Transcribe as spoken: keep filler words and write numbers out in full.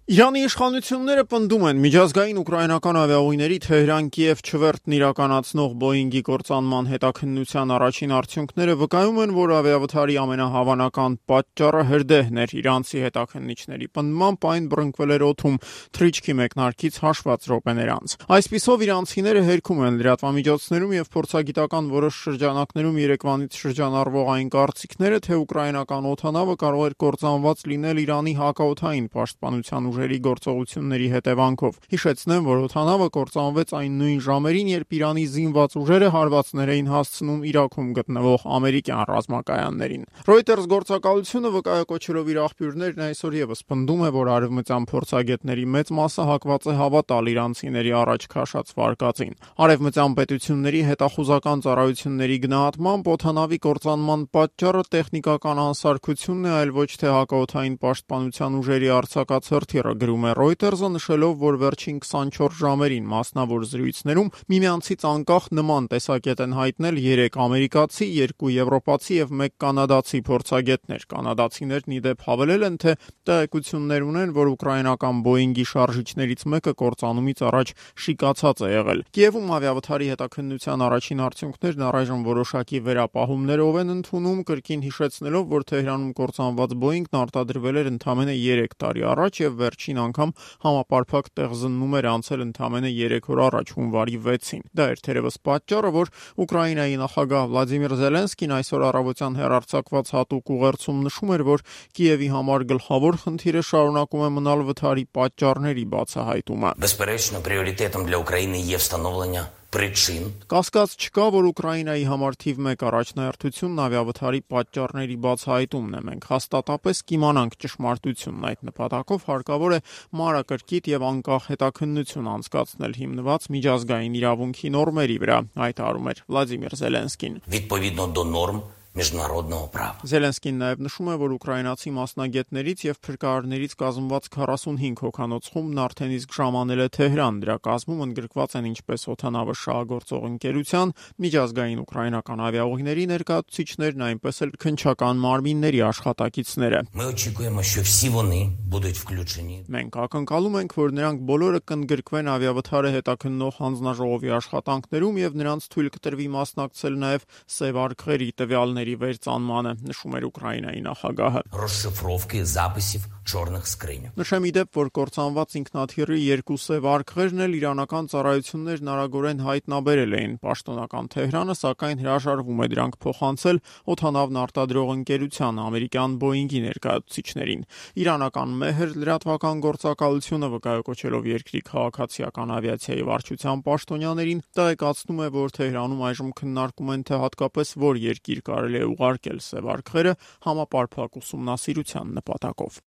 Իրանի իշխանությունները պնդում են միջազգային ուկրաինական ավիաուղիների Թեհրան-Կիև չվերթն իրականացնող Բոինգի կործանման հետաքննության առաջին արդյունքները վկայում են, որ ավիավթարի ամենահավանական պատճառը հրդեհն էր։ Իրանցի հետաքննիչների պնդմամբ այն բռնկվել էր օդում թռիչքի մեկնարկից հաշված րոպեներ անց։ Այսպիսով իրանցիները հերքում են լրատվամիջոցներում եւ փորձագիտական որոշ շրջանակներում երեկվանից շրջանառվող այն կարծիքները, թե ուկրաինական օդանավը կարող էր կործանված լինել Իրանի հակաօդային պաշտպանության ուժերի գործողությունների հետևանքով։ Հիշեցնեմ, որ օդանավը կործանվեց այն նույն ժամերին, երբ Իրանի զինված ուժերը հարվածներ էին հասցնում Իրաքում գտնվող ամերիկյան ռազմակայաններին։ Reuters գործակալությունը վկայակոչելով իր աղբյուրներն այսօր եւս պնդում է, որ արևմտյան փորձագետների մեծ մասը հակված է հավատալ իրանցիների առաջ քաշած վարկածին։ Արևմտյան պետությունների հետախուզական ծառայությունների գնահատմամբ օդանավի կործանման պատճառը տեխնիկական անսարքությունն է, այլ ոչ թե հակաօդային պաշտպանության ուժերի արձակած գրում է Reuters-ը, նշելով, որ վերջին քսանչորս ժամերին մասնավոր զրույցներում միմյանցից անկախ նման տեսակետ են հայտնել երեք ամերիկացի, երկու եվրոպացի եւ մեկ կանադացի փորձագետներ։ Կանադացիներն ի դեպ հավելել են, թե տեղեկություններ ունեն, որ ուկրաինական Բոինգի շարժիչներից մեկը կործանումից առաջ շիկացած է եղել։ Կիևում ավիավթարի հետաքննության առաջին արդյունքներն առայժմ որոշակի վերապահումներով են ընդունում, կրկին հիշեցնելով, որ Թեհրանում կործանված Բոինգն արտադրվել էր ընդամենը երեք տարի առաջ եւ վերջին անգամ համապարփակ տեղզննում էր անցել ընդամենը երեք օր առաջ, հունվարի վեցին։ Դա էր թերևս պատճառը, որ Ուկրաինայի նախագահ Վլադիմիր Զելենսկին այսօր առավոտյան հեռարձակված հատուկ ուղերձում նշում էր, որ Կիևի համար գլխավոր խնդիրը շարունակում է մնալ վթարի պատճառների բացահայտումը։ Безперечно, пріоритетом для України є встановлення причин. Կասկած չկա, որ Ուկրաինայի համար թիվ մեկ առաջնահերթությունն ավիավթարի պատճառների բացահայտումն է։ Մենք հաստատապես կիմանանք ճշմարտությունն այդ նպատակով հարկավոր է մանրակրկիտ եւ անկախ հետաքննություն անցկացնել հիմնված միջազգային իրավունքի նորմերի վրա, հայտարարում էր Վլադիմիր Զելենսկին։ Відповідно до норм միջնարодного права. Զելենսկին նաև նշում է, որ ուկրաինացի մասնագետներից եւ փրկարարներից կազմված քառասունհինգ հոգանոց խումբն արդեն իսկ ժամանել է Թեհրան։ Դրա կազմում ընդգրկված են ինչպես օդանավը շահագործող ընկերության, միջազգային ուկրաինական ավիաուղիների ներկայացուցիչներն, այնպես էլ քննչական մարմինների աշխատակիցները։ Ми очікуємо, що всі вони будуть включені. Մենք ակնկալում ենք, որ նրանք բոլորը կընդգրկվեն ավիավթարը հետաքննող հանձնաժողովի աշխատանքներում եւ նրանց թույլ կտրվի մասնակցել նաև սև արքղերի տվյալների վերծանմանը, նշում էր Ուկրաինայի նախագահը։ Розшифровки записів чорних скриньок. Նշեմ ի դեպ, որ կործանված ինքնաթիռի երկու սև արքղերն էլ իրանական ծառայություններն արագորեն հայտնաբերել էին։ Պաշտոնական Թեհրանը սակայն հրաժարվում է դրանք փոխանցել օդանավն արտադրող ընկերության ամերիկյան Բոինգի ներկայացուցիչներին։ Իրանական Մեհր լրատվական գործակալությունը վկայակոչելով երկրի քաղաքացիական ավիացիայի վարչության պաշտոնյաներին տեղեկացնում է, որ Թեհրանում այժմ քննարկում են, թե հատկապես որ երկիր կարելի է ուղարկել սև արքղերը համապարփակ ուսումնասիրության նպատակով։